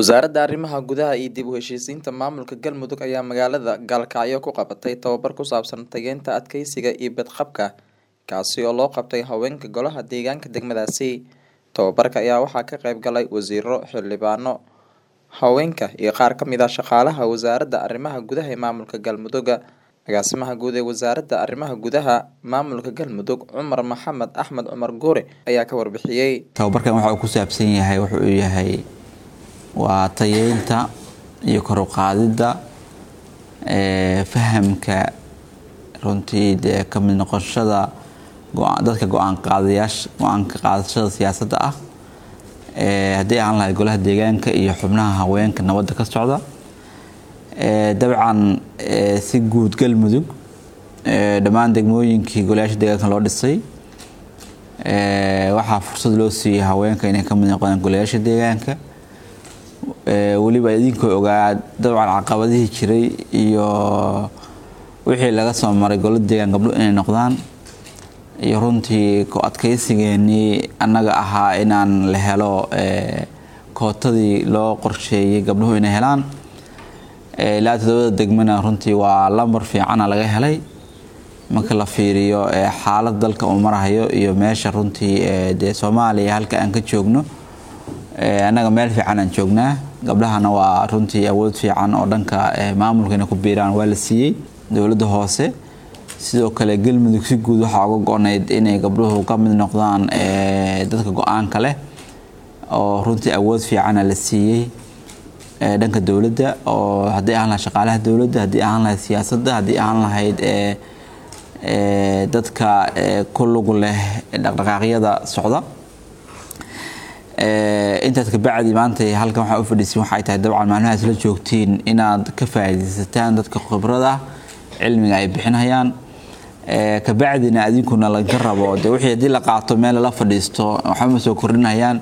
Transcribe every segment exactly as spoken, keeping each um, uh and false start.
Wasaaradda Arrimaha Gudaha iyo dib u heshiisiinta maamulka Galmudug ayaa magaalada Gaalkacyo ku qabatay tababar ku saabsan tayeynta adkeysiga iyo badqabka, kaasi oo loo qabtay haweenka golaha deegaanka degmadaasi. Tababarka ayaa waxaa ka qayb galay wasiiro, xildhibaano, haweenka iyo qaar ka mid ah shaqaalaha wasaaradda arrimaha gudaha ee maamulka Galmudug. Agaasimaha guud ee wasaaradda arrimaha gudaha maamulka Galmudug, Cumar Maxamed Axmed Cumar Guure ayaa ka warbixiyey. Tababarkan waxa uu ku saabsan yahay wuxuu yahay waa tayeynta iyo kor u qaadidda ee fahamka runtii dee ka mid noqoshada go- dadka go-aan qaadayaasha go-aanka qaadashada siyaasadda ah ee haddii aan lahay golaha deegaanka iyo xubnaha haweenka nabadda ka socda ee dabcan ee si guud Galmudug ee dhammaan degmooyinkii golayaasha deegaanka loo dhisay ee waxaa fursad loo siiyey haweenka inay ka mid noqdaan golayaasha deegaanka ee weliba idinkoo ogaa dabcan caqabadihii jiray iyo wixii laga soo maray golo deegaan gabdho inay noqdaan iyo runtii ku adkeysigeenii annaga ahaa inaan la helo ee kootadii loo qorsheeyey gabdhuhu inay helaan ilaa toddobada degmana runtii waa lambar fiicana laga helay marka la fiiriyo ee xaalad dalka uu marahayo iyo meesha runtii ee dee Soomaaliya halka aan ka joogno ee annaga meel fiican aan joognaa gabdhahana waa runtii awood fiican oo dhanka maamulka inay ku biiraan waa la siiyey dowladda hoose. Sidoo kale Galmudug si guud waxaa uga go-nayd inay gabdhuhu ka mid noqdaan ee dadka go-aanka leh oo runtii awood fiicana la siiyey ee dhanka dowladda oo haddii ahaan lahayd shaqaalaha dowladda, haddii ahaan lahayd siyaasadda, haddii ahaan lahayd ee ee dadka ee ku lug leh dhaqdhaqaaqyada socda. Ee intaas ka bacdi maanta halkan waxaa u fadhiisin waxay tahay dabcan maalmahaas la joogtiin inaad ka faa'iidaysataan dadka khibrada cilmiga ay bixinayaan ee ka bacdina adinkuna laga rabo dee wixii haddii la qaato meel la fadhiisto waxba ma soo kordhinayaan.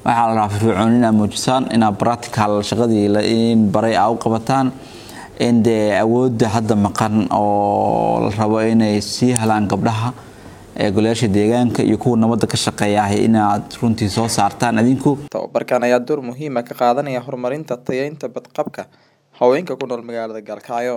Waxaa la rabaa firfircooni inaad muujisaan, inaad practical shaqadii la in baray aa u qabataan, in dee awoodda hadda maqan oo la rabo inay sii helaan gabdhaha ee golayaasha deegaanka iyo kuwa nabadda ka shaqeeya inaad runtii soo saartaan adinku. Tababarkan ayaa door muhiim ah ka qaadanaya horumarinta tayeynta badqabka haweenka ku nool magaalada Gaalkacyo.